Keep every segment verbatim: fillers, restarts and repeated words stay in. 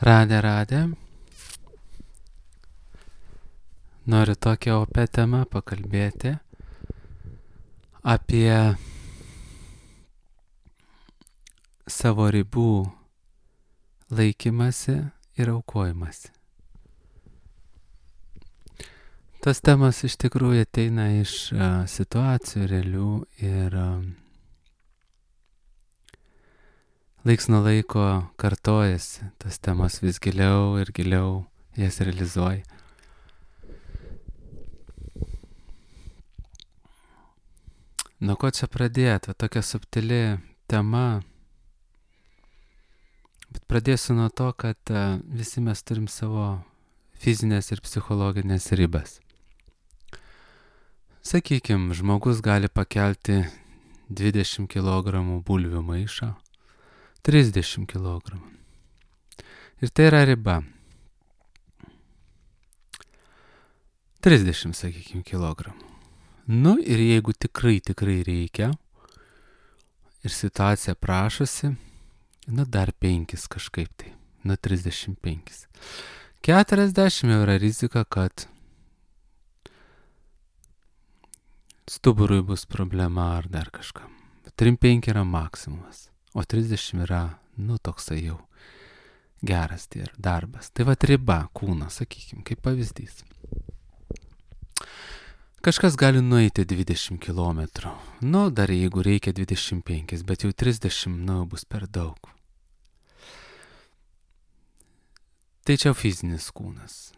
Radė, radė. Noriu tokią opę temą pakalbėti apie savo ribų laikymasi ir aukojimasi. Tas temas iš tikrųjų ateina iš uh, situacijų realių ir uh, laiks nuo laiko kartojasi. Tas temas vis giliau ir giliau jas realizuoja. Nuo ko čia pradėti? Tokia subtili tema. Bet pradėsiu nuo to, kad uh, visi mes turim savo fizinės ir psichologinės ribas. Sakykime, žmogus gali pakelti dvidešimt kilogramų bulvių maišą, trisdešimt kilogramų. Ir tai yra riba. trisdešimt, sakykime, kilogramų. Nu ir jeigu tikrai, tikrai reikia ir situacija prašosi, nu dar penkis kažkaip tai, nu trisdešimt penkis. keturiasdešimt jau yra rizika, kad stuburui bus problema ar dar kažkam. trisdešimt penki yra maksimumas, o trisdešimt yra, nu toksai jau geras tai darbas. Tai va riba kūno, sakykime, kaip pavyzdys. Kažkas gali nueiti dvidešimt kilometrų. Nu, dar jeigu reikia dvidešimt penki, bet jau trisdešimt, nu, bus per daug. Tai čia fizinis kūnas.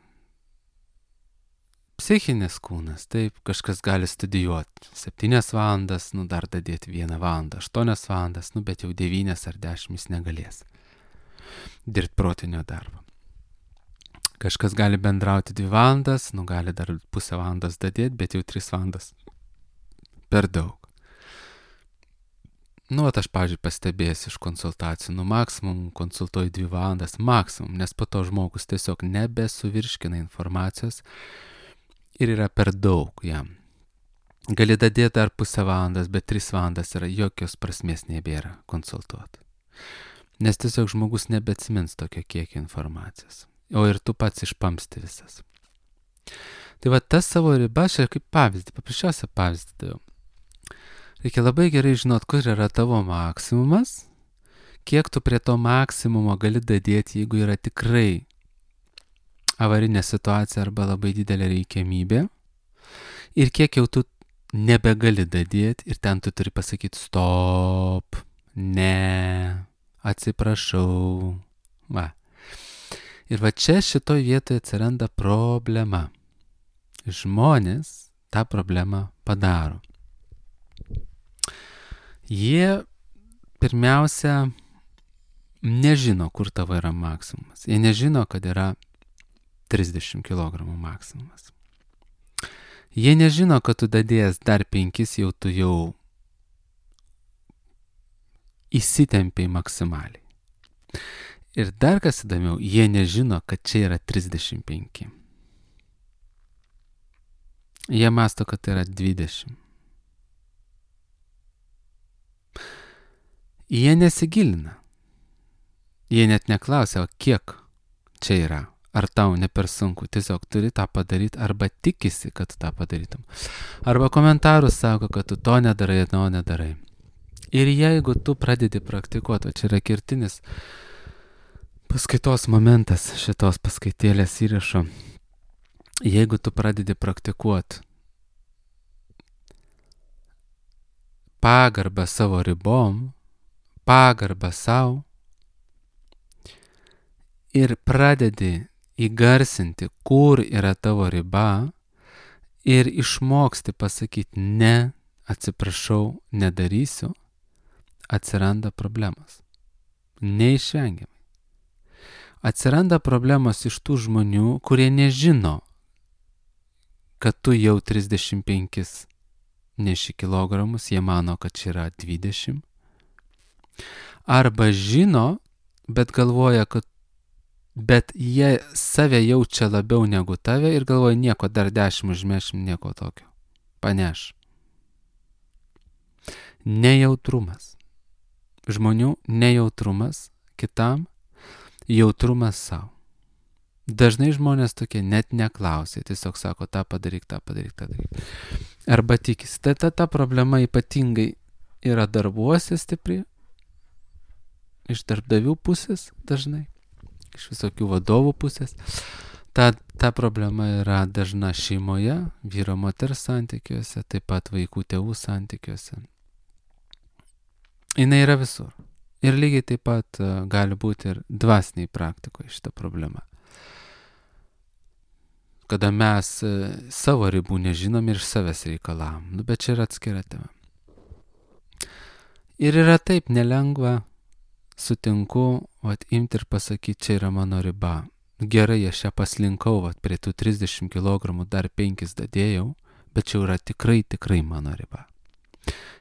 Psichinis kūnas, taip, kažkas gali studijuoti septynias valandas, nu, dar dadėti vieną valandą, aštuonias valandas, nu, bet jau devynias ar dešimt jis negalės dirbti protinio darbo. Kažkas gali bendrauti dvi valandas, nu gali dar pusę valandas dadėti, bet jau tris valandas per daug. Nu, at aš, pavyzdžiui, pastebėjęs iš konsultacijų, nu, maksimum konsultuoju dvi valandas, maksimum, nes po to žmogus tiesiog nebesuvirškina informacijos ir yra per daug jam. Gali dadėti dar pusę valandas, bet tris valandas yra jokios prasmės nebėra konsultuoti. Nes tiesiog žmogus nebeatsimins tokio kiekio informacijos. O ir tu pats išpamsti visas. Tai va tas savo ribas, čia kaip pavyzdį, paprasčiausią pavyzdį daviau. Reikia labai gerai žinot, kur yra tavo maksimumas, kiek tu prie to maksimumo gali dadėti, jeigu yra tikrai avarinė situacija arba labai didelė reikiamybė, ir kiek jau tu nebegali dadėti ir ten tu turi pasakyti stop, ne, atsiprašau, va. Ir va čia šitoj vietoje atsiranda problema. Žmonės tą problemą padaro. Jie pirmiausia nežino, kur tavo yra maksimumas. Jie nežino, kad yra trisdešimt kilogramų maksimumas. Jie nežino, kad tu dadėjęs dar penkis, jau tu jau įsitempiai maksimaliai. Ir dar kas įdomiau, jie nežino, kad čia yra trisdešimt penki. Jie mąsto, kad tai yra dvidešimt. Jie nesigilina. Jie net neklausia, o kiek čia yra. Ar tau ne per sunku. Tiesiog turi tą padaryti arba tikisi, kad tą padarytum. Arba komentarus sako, kad tu to nedarai, to nedarai. Ir jeigu tu pradedi praktikuoti, o čia yra kertinis paskaitos momentas šitos paskaitėlės įrašo. Jeigu tu pradedi praktikuoti pagarbą savo ribom, pagarbą savo ir pradedi įgarsinti, kur yra tavo riba ir išmoksti pasakyti ne, atsiprašau, nedarysiu, atsiranda problemos. Neišvengiamai. Atsiranda problemos iš tų žmonių, kurie nežino, kad tu jau trisdešimt penkis neši kilogramus, jie mano, kad čia yra dvidešimt. Arba žino, bet galvoja, kad bet jie save jaučia labiau negu tave ir galvoja, nieko, dar dešimt užmešim, nieko tokio. Paneš. Nejautrumas. Žmonių nejautrumas kitam jautrumas savo. Dažnai žmonės tokie net neklausia, tiesiog sako, tą padaryk, tą padaryk, tą padaryk. Arba tikisi. Ta, ta, ta problema ypatingai yra darbuose stipri, iš darbdavių pusės dažnai, iš visokių vadovų pusės. Ta, ta problema yra dažna šeimoje, vyro moters santykiuose, taip pat vaikų tėvų santykiuose. Jinai yra visur. Ir lygiai taip pat uh, gali būti ir dvasiniai praktikoje šita problema. Kada mes uh, savo ribų nežinom ir iš savęs reikalavom. Nu, bet čia yra atskira tema. Ir yra taip nelengva, sutinku, vat, imti ir pasakyti, čia yra mano riba. Gerai, aš ją paslinkau, vat, prie tų trisdešimt kilogramų dar penkis dadėjau, bet čia yra tikrai, tikrai mano riba.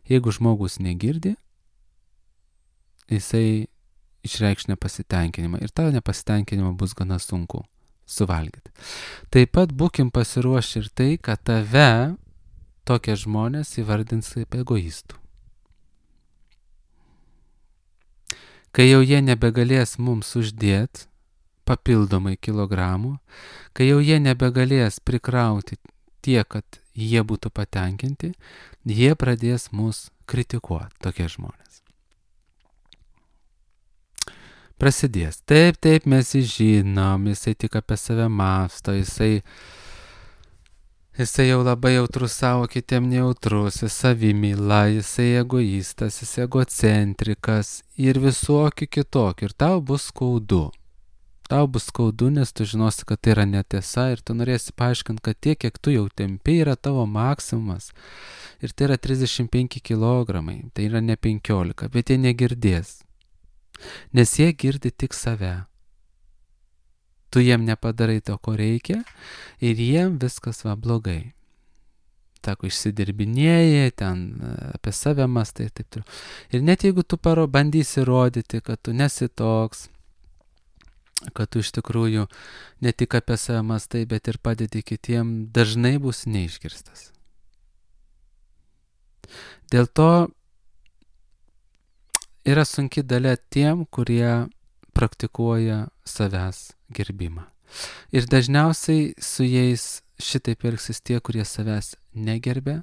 Jeigu žmogus negirdi, jisai išreikš nepasitenkinimą ir tą nepasitenkinimą bus gana sunku suvalgyti. Taip pat būkim pasiruošę ir tai, kad tave tokie žmonės įvardins kaip egoistų. Kai jau jie nebegalės mums uždėti papildomai kilogramų, kai jau jie nebegalės prikrauti tiek, kad jie būtų patenkinti, jie pradės mus kritikuoti, tokie žmonės. Prasidės. Taip, taip, mes jį žinom, jisai tik apie save mąsto, jisai, jisai jau labai jautrus savo, kitiem nejautrus, jis savimyla, jisai egoistas, jisai egocentrikas ir visokių kitokių. Ir tau bus skaudu. Tau bus skaudu, nes tu žinosi, kad tai yra netiesa ir tu norėsi paaiškinti, kad tiek, kiek tu jau tempi, yra tavo maksimumas. Ir tai yra trisdešimt penki kilogramai, tai yra ne penkiolika, bet jie negirdės. Nes jie girdi tik save. Tu jiem nepadarai to, ko reikia ir jiem viskas va blogai. Tako išsidirbinėjai, ten apie save mastai ir taip toliau. Ir net jeigu tu paro bandysi rodyti, kad tu nesi toks, kad tu iš tikrųjų ne tik apie save mastai, bet ir padedi kitiem, dažnai bus neišgirstas. Dėl to yra sunki dalia tiem, kurie praktikuoja savęs gerbimą. Ir dažniausiai su jais šitaip elgsis tie, kurie savęs negerbia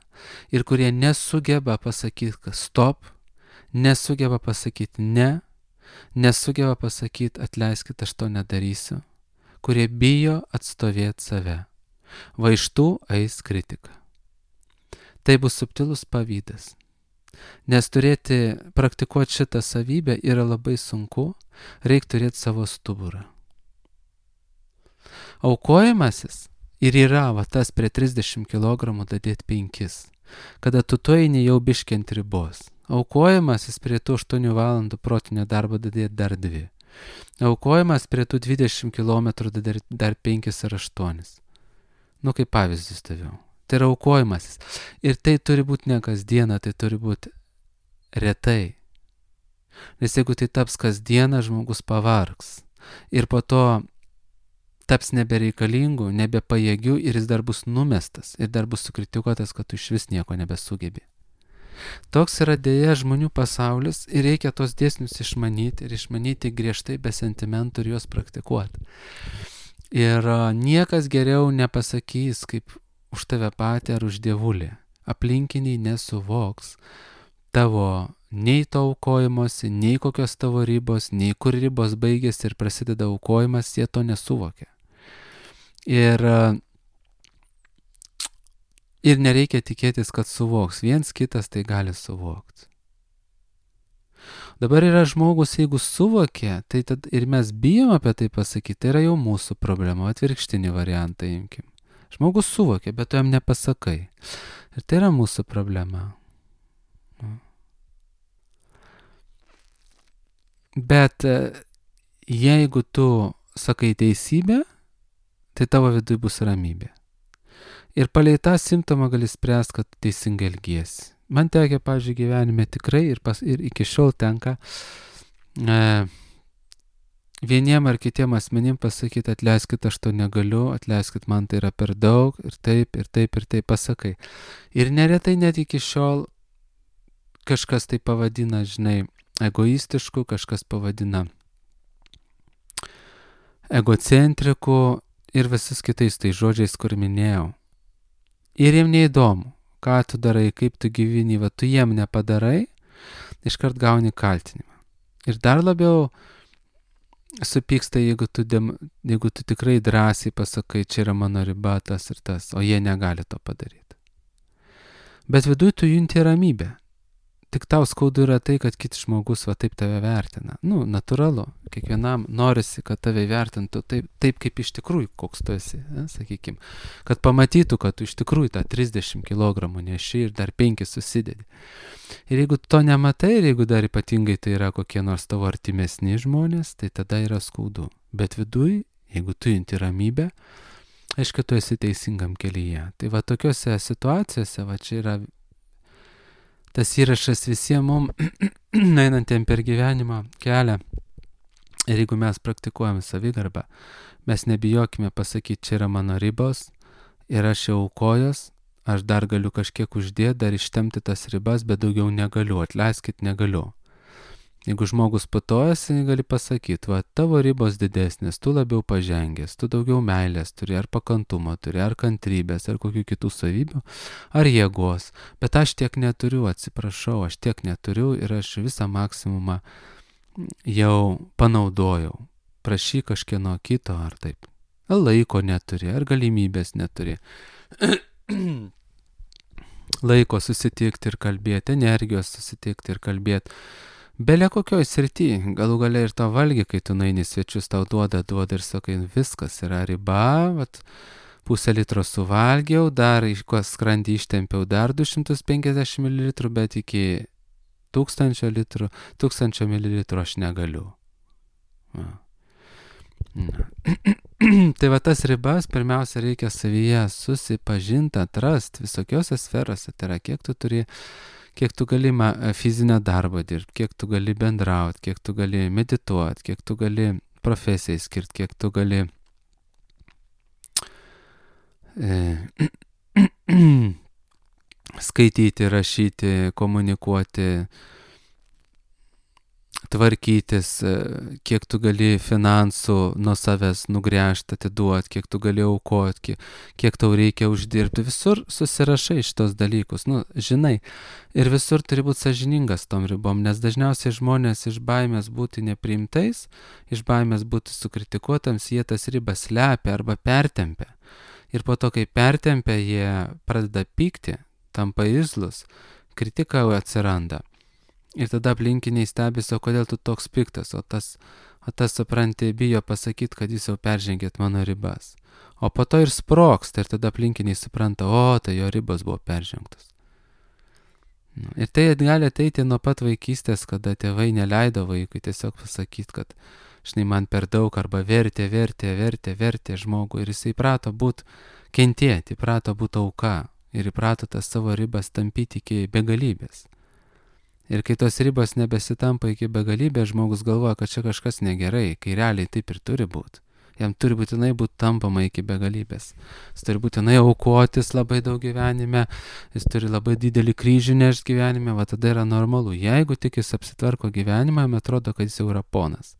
ir kurie nesugeba pasakyti, kad stop, nesugeba pasakyti ne, nesugeba pasakyti atleiskit, aš to nedarysiu, kurie bijo atstovėti save. Va iš tų eis kritika. Tai bus subtilus pavydas. Nes turėti, praktikuoti šitą savybę yra labai sunku, reikia turėti savo stuburą. Aukojimasis ir yra va tas prie trisdešimt kilogramų dadėti penkis, kada tu tu eini jau biškiant ribos. Aukojimasis prie tų aštuonių valandų protinio darbo dadėti dar dvi. Aukojimas prie tų dvidešimt kilometrų dadėti dar penkis ar aštuonis. Nu kaip pavyzdys taviau. Tai yra aukojimasis. Ir tai turi būti ne kasdieną, tai turi būti retai. Nes jeigu tai taps kasdieną, žmogus pavargs. Ir po to taps nebereikalingų, nebepajėgių ir jis dar bus numestas. Ir dar bus sukritikuotas, kad tu iš vis nieko nebesugebi. Toks yra dėja žmonių pasaulis ir reikia tos dėsnius išmanyti ir išmanyti griežtai be sentimentų ir juos praktikuoti. Ir niekas geriau nepasakys, kaip už tave patį ar už dievulį. Aplinkiniai nesuvoks tavo nei to aukojimosi, nei kokios tavo ribos, nei kur ribos baigėsi ir prasideda aukojimas, jie to nesuvokia. Ir, ir nereikia tikėtis, kad suvoks. Viens kitas tai gali suvokti. Dabar yra žmogus, jeigu suvokia, tai tad ir mes bijom apie tai pasakyti, tai yra jau mūsų problema, atvirkštinį variantą imkim. Žmogus suvokia, bet tu jam nepasakai. Ir tai yra mūsų problema. Bet jeigu tu sakai teisybę, tai tavo viduje bus ramybė. Ir palei tą simptomą gali spręsti, kad teisingai elgiesi. Man tekia, pavyzdžiui, gyvenime tikrai ir, pas, ir iki šiol tenka e, vieniem ar kitiem asmenim pasakyti, atleiskit, aš to negaliu, atleiskit, man tai yra per daug ir taip, ir taip, ir taip pasakai. Ir neretai net iki šiol kažkas tai pavadina, žinai, egoistišku, kažkas pavadina egocentrikų ir visus kitais tai žodžiais, kur minėjau. Ir jiem neįdomu, ką tu darai, kaip tu gyveni, va tu jiem nepadarai, iškart gauni kaltinimą. Ir dar labiau supyksta, jeigu tu, dem, jeigu tu tikrai drąsiai pasakai, čia yra mano riba, tas ir tas, o jie negali to padaryti. Bet viduj tu junti ramybę. Tik tau skaudu yra tai, kad kitas žmogus va taip tave vertina. Nu, natūralu. Kiekvienam norisi, kad tave vertintų taip, taip kaip iš tikrųjų, koks tu esi, ne, sakykim. Kad pamatytų, kad tu iš tikrųjų tą trisdešimt kilogramų neši ir dar penkis susidedi. Ir jeigu to nematai, ir jeigu dar ypatingai tai yra kokie nors tavo artimesni žmonės, tai tada yra skaudu. Bet viduj, jeigu tu junti ramybę, aišku, tu esi teisingam kelyje. Tai va tokiuose situacijose, va čia yra tas įrašas visiems mums, einantiem per gyvenimo kelią. Ir jeigu mes praktikuojame savigarbą, mes nebijokime pasakyti, čia yra mano ribos ir aš jau aukojos, aš dar galiu kažkiek uždėti, dar ištemti tas ribas, bet daugiau negaliu, atleiskit, negaliu. Jeigu žmogus putojasi, gali pasakyti, va, tavo ribos didesnės, tu labiau pažengęs, tu daugiau meilės turi, ar pakantumo turi, ar kantrybės, ar kokių kitų savybių, ar jėgos. Bet aš tiek neturiu, atsiprašau, aš tiek neturiu ir aš visą maksimumą jau panaudojau. Prašyk kažkieno kito, ar taip. Laiko neturi, ar galimybės neturi. Laiko susitikti ir kalbėti, energijos susitikti ir kalbėti. Belia kokioj srity, galų gale ir to valgy, kai tu nueini svečius, tau duoda, duoda ir sakai, viskas yra riba, vat, pusę litro suvalgiau, dar iš ko skrandį ištempiau dar du šimtus penkiasdešimt mililitrų, bet iki tūkstančio litrų, tūkstančio mililitrų aš negaliu. Na. Na. Tai va tas ribas pirmiausia reikia savyje susipažinti, atrasti visokiose sferose, tai yra kiek tu turi kiek tu gali fizinę darbą dirbti, kiek tu gali bendrauti, kiek tu gali medituoti, kiek tu gali profesijai skirti, kiek tu gali e, skaityti, rašyti, komunikuoti, tvarkytis, kiek tu gali finansų nuo savęs nugręžti, atiduoti, kiek tu gali aukoti, kiek, kiek tau reikia uždirbti. Visur susirašai šitos dalykus, nu, žinai. Ir visur turi būti sąžiningas tom ribom, nes dažniausiai žmonės iš baimės būti nepriimtais, iš baimės būti sukritikuotams, jie tas ribas slepia arba pertempia. Ir po to, kai pertempia, jie pradeda pykti, tampa irzlus, kritika atsiranda. Ir tada aplinkiniai stebisi, o kodėl tu toks piktas, o tas, o tas supranti, bijo pasakyti, kad jūs jau peržengėt mano ribas. O po to ir sprogsta, ir tada aplinkiniai supranta, o tai jo ribos buvo peržengtos. Ir tai gali ateiti nuo pat vaikystės, kada tėvai neleido vaikui tiesiog pasakyti, kad žinai, man per daug, arba vertė, vertė, vertė, vertė žmogų, ir jisai įprato būti kentėti, įprato būti auka, ir įprato tas savo ribas tampyti iki begalybės. Ir kai tos ribos nebesitampa iki begalybės, žmogus galvoja, kad čia kažkas negerai, kai realiai taip ir turi būti. Jam turi būtinai būti tampama iki begalybės. Jis turi būtinai aukotis labai daug gyvenime, jis turi labai didelį kryžių nešti gyvenime, va tada yra normalu. Jeigu tik jis apsitvarko gyvenimą, jam atrodo, kad jis jau yra ponas.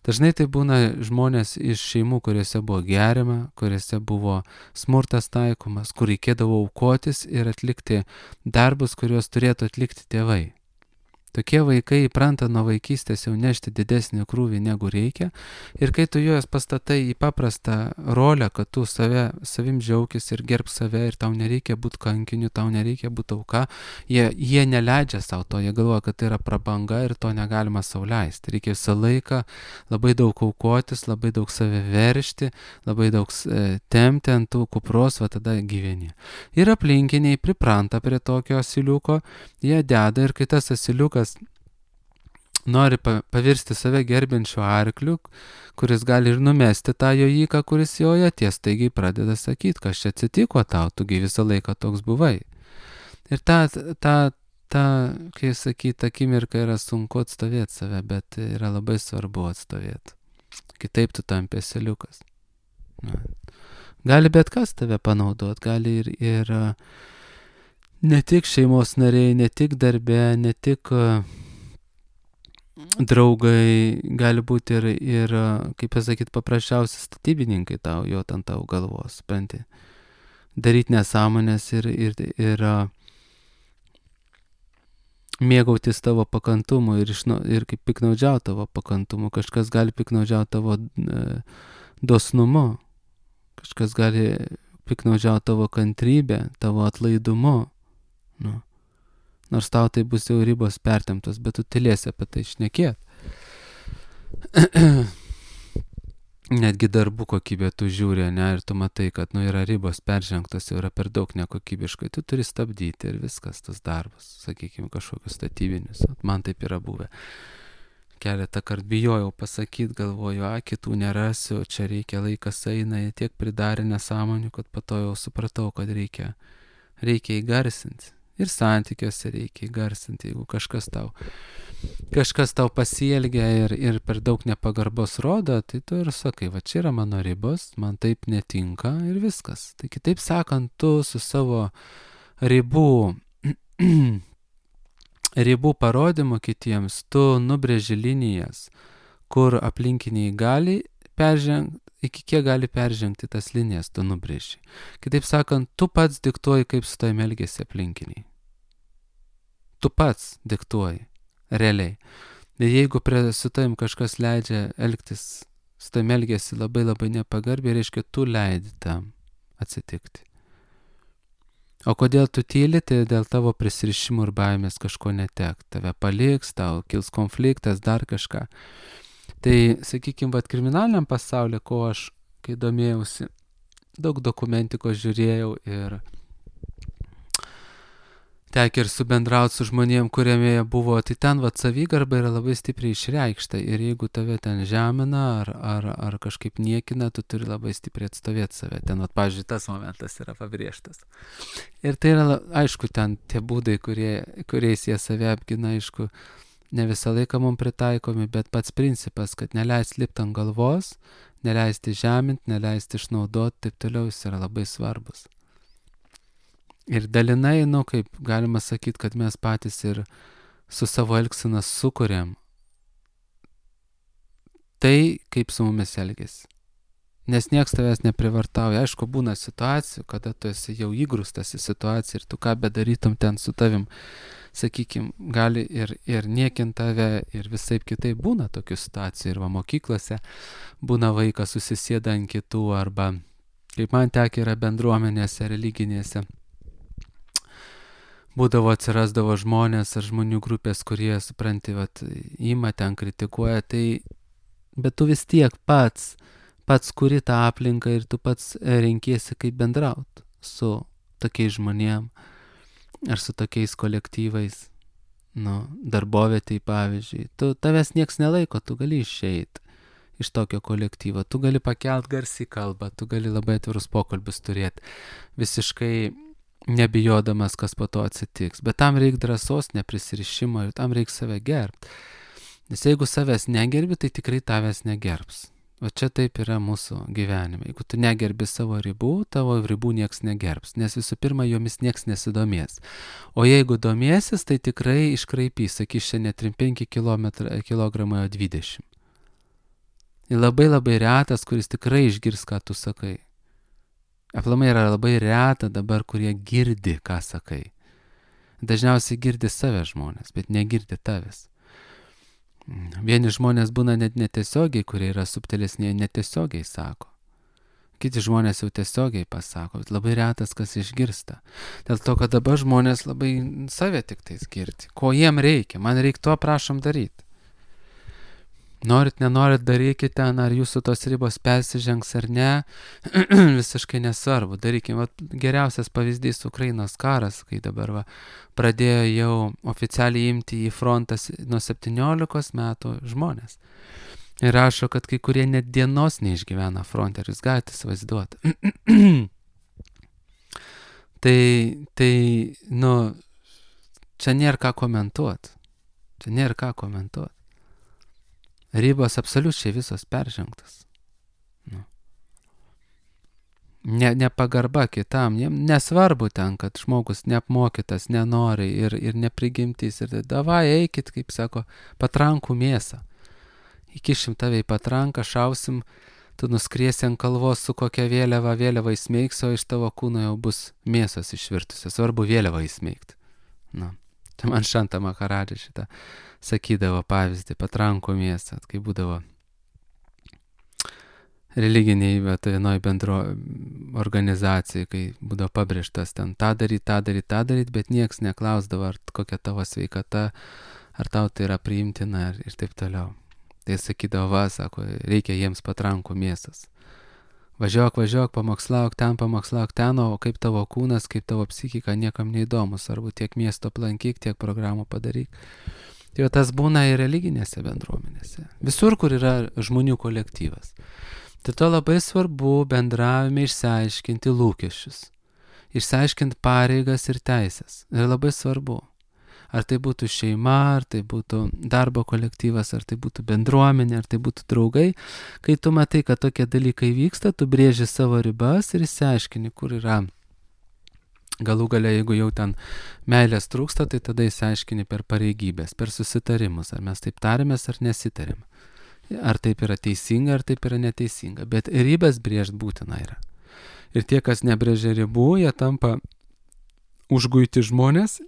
Dažnai tai būna žmonės iš šeimų, kuriuose buvo geriama, kuriuose buvo smurtas taikomas, kur reikėdavo aukotis ir atlikti darbus, kuriuos turėtų atlikti tėvai. Tokie vaikai įpranta nuo vaikystės jau nešti didesnį krūvį negu reikia, ir kai tu juos pastatai į paprastą rolę, kad tu save, savim džiaugis ir gerb save, ir tau nereikia būti kankiniu, tau nereikia būti auka, jie, jie neleidžia savo to, jie galvoja, kad tai yra prabanga ir to negalima sau leisti. Reikia visą laiką labai daug aukotis, labai daug save veršti, labai daug e, tempti ant tų kupros, va tada gyveni. Ir aplinkiniai pripranta prie tokio asiliuko, jie deda, ir kai tas asiliukas nori pavirsti save gerbinčiu arkliu, kuris gali ir numesti tą jojiką, kuris joja, tie staigiai pradeda sakyti, kas čia atsitiko tau, tugi visą laiką toks buvai. Ir ta, ta, ta kai sakyti, akimirka yra sunku atstovėti save, bet yra labai svarbu atstovėti. Kitaip tu tampi asiliukas. Gali bet kas tave panaudot, gali ir, ir ne tik šeimos nariai, ne tik darbe, ne tik draugai, gali būti ir, ir kaip pasakyti, paprasčiausi statybininkai tau, jo ant tavo galvos, supranti. Daryti nesąmonės ir, ir, ir mėgautis tavo pakantumu ir, išnu, ir kaip piknaudžiauti tavo pakantumu. Kažkas gali piknaudžiauti tavo e, dosnumu, kažkas gali piknaudžiauti tavo kantrybę, tavo atlaidumu. Nu. Nors tau tai bus jau ribos pertemptos, bet tu tylėsi apie tai šnekėt. Netgi darbų kokybė tu žiūri, ne, ir tu matai, kad nu, yra ribos peržengtos, jau yra per daug nekokybiškai, tu turi stabdyti ir viskas, tas darbas, sakykime, kažkokius statybinius. Man taip yra buvę. Keletą kartų bijojau pasakyti, galvoju, a, kitų nerasiu, čia reikia, laikas eina, jie tiek pridarė nesąmonių, kad po to jau supratau, kad reikia, reikia įgarsinti. Ir santykiuose reikia įgarsinti, jeigu kažkas tau, kažkas tau pasielgia ir, ir per daug nepagarbos rodo, tai tu ir sakai, va čia yra mano ribos, man taip netinka ir viskas. Tai kitaip sakant, tu su savo ribų, ribų parodymu kitiems, tu nubrėži linijas, kur aplinkiniai gali peržengti, iki kiek gali peržengti tas linijas, tu nubrėži. Kitaip sakant, tu pats diktuoji, kaip su tavimi elgiasi aplinkiniai. Tu pats diktuoji, realiai. Ir jeigu prie, su tavim kažkas leidžia elgtis, su tavimi elgiasi labai labai nepagarbiai, reiškia, tu leidi tam atsitikti. O kodėl tu tyli, tai dėl tavo prisirišimų ir baimės kažko netek. Tave paliks, tau kils konfliktas, dar kažką. Tai, sakykime, vat kriminaliniam pasaulyje, ko aš, kai domėjausi, daug dokumentikos žiūrėjau ir tekia ir subendrauti su žmonėm, kuriame buvo, tai ten vat savigarba yra labai stipriai išreikšta ir jeigu tave ten žemina ar, ar, ar kažkaip niekina, tu turi labai stipriai atstovėti save. Ten, vat, pavyzdžiui, tas momentas yra pabrėžtas. Ir tai yra, aišku, ten tie būdai, kurie, kuriais jie save apgina, aišku, ne visą laiką mums pritaikomi, bet pats principas, kad neleisti lipti ant galvos, neleisti žeminti, neleisti išnaudoti, taip toliau jis yra labai svarbus. Ir dalinai, nu, kaip galima sakyti, kad mes patys ir su savo elgsena sukuriam tai, kaip su mumis elgesi. Nes nieks tavęs neprivartauja. Aišku, būna situacijų, kada tu esi jau įgrūstas į situaciją ir tu ką bedarytum ten su tavim, sakykime, gali ir, ir niekint tave ir visaip kitaip būna tokių situacijų. Ir va mokyklose būna vaikas susisėda ant kitų arba, kaip man tekia, yra bendruomenėse, religinėse. Būdavo atsirasdavo žmonės ar žmonių grupės, kurie, supranti, vat, ima ten kritikuoja, tai, bet tu vis tiek pats, pats kuri tą aplinką ir tu pats renkiesi, kaip bendraut su tokiais žmonėm ar su tokiais kolektyvais, nu, darbovietėj pavyzdžiui. Tu, tavęs nieks nelaiko, tu gali išeiti iš tokio kolektyvo, tu gali pakelt garsiai kalbą, tu gali labai atvirus pokalbius turėti, visiškai nebijodamas, kas po to atsitiks. Bet tam reikia drąsos, neprisirišimo ir tam reikia save gerbti. Nes jeigu savęs negerbi, tai tikrai tavęs negerbs. O čia taip yra mūsų gyvenime. Jeigu tu negerbi savo ribų, tavo ribų nieks negerbs. Nes visų pirma, jomis nieks nesidomės. O jeigu domėsis, tai tikrai iškraipys, sakys, čia ne trim penki kilogramai, o dvidešimt. Ir labai labai retas, kuris tikrai išgirs, ką tu sakai. Aplamai yra labai reta dabar, kurie girdi, ką sakai. Dažniausiai girdi save žmonės, bet negirdi tavęs. Vieni žmonės būna net netiesiogiai, kurie yra subtilesni, netiesiogiai sako. Kiti žmonės jau tiesiogiai pasako, bet labai retas, kas išgirsta. Dėl to, kad dabar žmonės labai save tik tais girdi. Ko jiem reikia? Man reikia to, prašom daryti. Norit, nenorit, darykite, ar jūsų tos ribos persižengs ar ne, visiškai nesvarbu. Darykime, va, geriausias pavyzdys Ukrainos karas, kai dabar va, pradėjo jau oficialiai imti į frontą nuo septyniolikos metų žmonės. Ir rašo, kad kai kurie net dienos neišgyvena fronte, ar jūs galite įsivaizduoti. tai, tai, nu, čia nėra ką komentuoti. Čia nėra ką komentuoti. Ribos absoliučiai visos peržengtos. Nu. ne, nepagarba kitam, jiem nesvarbu ten, kad žmogus neapmokytas, nenori ir, ir neprigimtys. Ir davai eikit, kaip sako, patrankų mėsą. Įkišim tave į patranką, šausim, tu nuskriesi ant kalvos su kokia vėliava, vėliava įsmeigs, o iš tavo kūno jau bus mėsos išvirtusios. Svarbu vėliava įsmeigti. Na, tai man Šanta Maharadža šitą sakydavo pavyzdį, patrankų mėsą, kai būdavo religiniai, bet vienoj bendro organizacijai, kai būdavo pabrėžtas ten tą daryt, tą daryt, tą daryt, bet nieks neklausdavo, ar kokia tavo sveikata, ar tau tai yra priimtina ir, ir taip toliau. Tai sakydavo, va, sako, reikia jiems patrankų mėsas. Važiuok, važiuok, pamokslauk ten, pamokslauk ten, o kaip tavo kūnas, kaip tavo psichika, niekam neįdomus, arba tiek miesto aplankyk, tiek programų padaryk. Tai jau tas būna ir religinėse bendruomenėse. Visur, kur yra žmonių kolektyvas. Tai to labai svarbu bendravime išsiaiškinti lūkesčius, išsiaiškinti pareigas ir teisės. Ir labai svarbu. Ar tai būtų šeima, ar tai būtų darbo kolektyvas, ar tai būtų bendruomenė, ar tai būtų draugai. Kai tu matai, kad tokie dalykai vyksta, tu brėži savo ribas ir išsiaiškini, kur yra. Galų gale, jeigu jau ten meilės trūksta, tai tada išsiaiškini per pareigybės, per susitarimus, ar mes taip tarėmės, ar nesitarėm. Ar taip yra teisinga, ar taip yra neteisinga. Bet ribas brėžt būtina yra. Ir tie, kas nebrėžia ribų, jie tampa užguiti žmonės,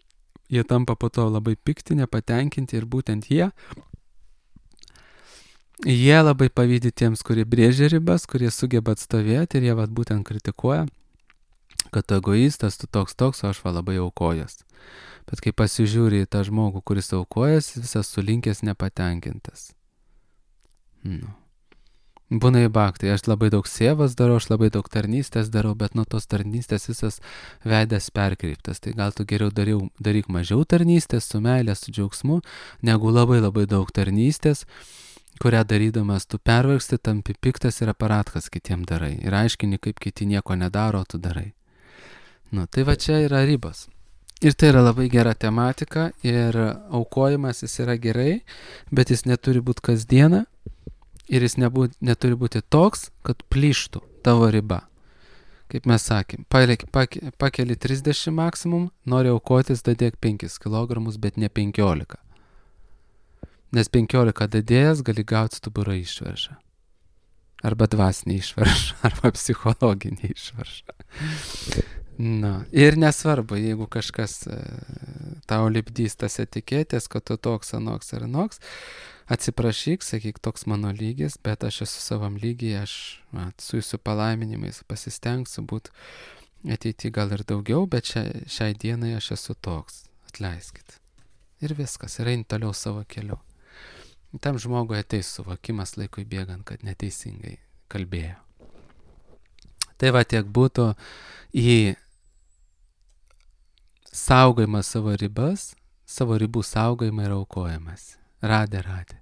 jie tampa po to labai pikti, nepatenkinti ir būtent jie, jie labai pavydi tiems, kurie brėžia ribas, kurie sugeba atstovėti ir jie vat būtent kritikuoja, kad tu egoistas, tu toks toks, o aš va labai aukojas. Bet kai pasižiūri į tą žmogų, kuris aukojas, visas sulinkęs nepatenkintas. Nu. Būna į bhakti, aš labai daug sievas darau, aš labai daug tarnystės darau, bet nuo tos tarnystės visas veidas perkreiptas. Tai gal tu geriau dariau, daryk mažiau tarnystės su meilė, su džiaugsmu, negu labai labai daug tarnystės, kurią darydamas tu pervargsti, tampi piktas ir aparatkas kitiem darai. Ir aiškini, kaip kiti nieko nedaro, tu darai. Nu, tai va čia yra ribos. Ir tai yra labai gera tematika ir aukojimas jis yra gerai, bet jis neturi būti kasdieną. Ir jis nebūt, neturi būti toks, kad plyštų tavo riba. Kaip mes sakėm, pakeli trisdešimt maksimum, nori aukotis, dadėk penkis kilogramus, bet ne penkiolika. Nes penkiolika dadėjęs gali gauti stuburą išvaržą. Arba dvasinį išvaržą, arba psichologinį išvaržą. Na, ir nesvarbu, jeigu kažkas tau lipdys tas etiketės, kad tu toks, anoks ar anoks, atsiprašyk, sakyk, toks mano lygis, bet aš esu savam lygiai, aš na, su jūsų palaiminimais pasistengsiu būti ateity gal ir daugiau, bet šiai, šiai dienai aš esu toks, atleiskit. Ir viskas, ir eini toliau savo keliu. Tam žmogui ateis suvokimas laikui bėgant, kad neteisingai kalbėjo. Tai va tiek būtų į saugojimą savo ribas, savo ribų saugojimą ir aukojimas. Radė, radė.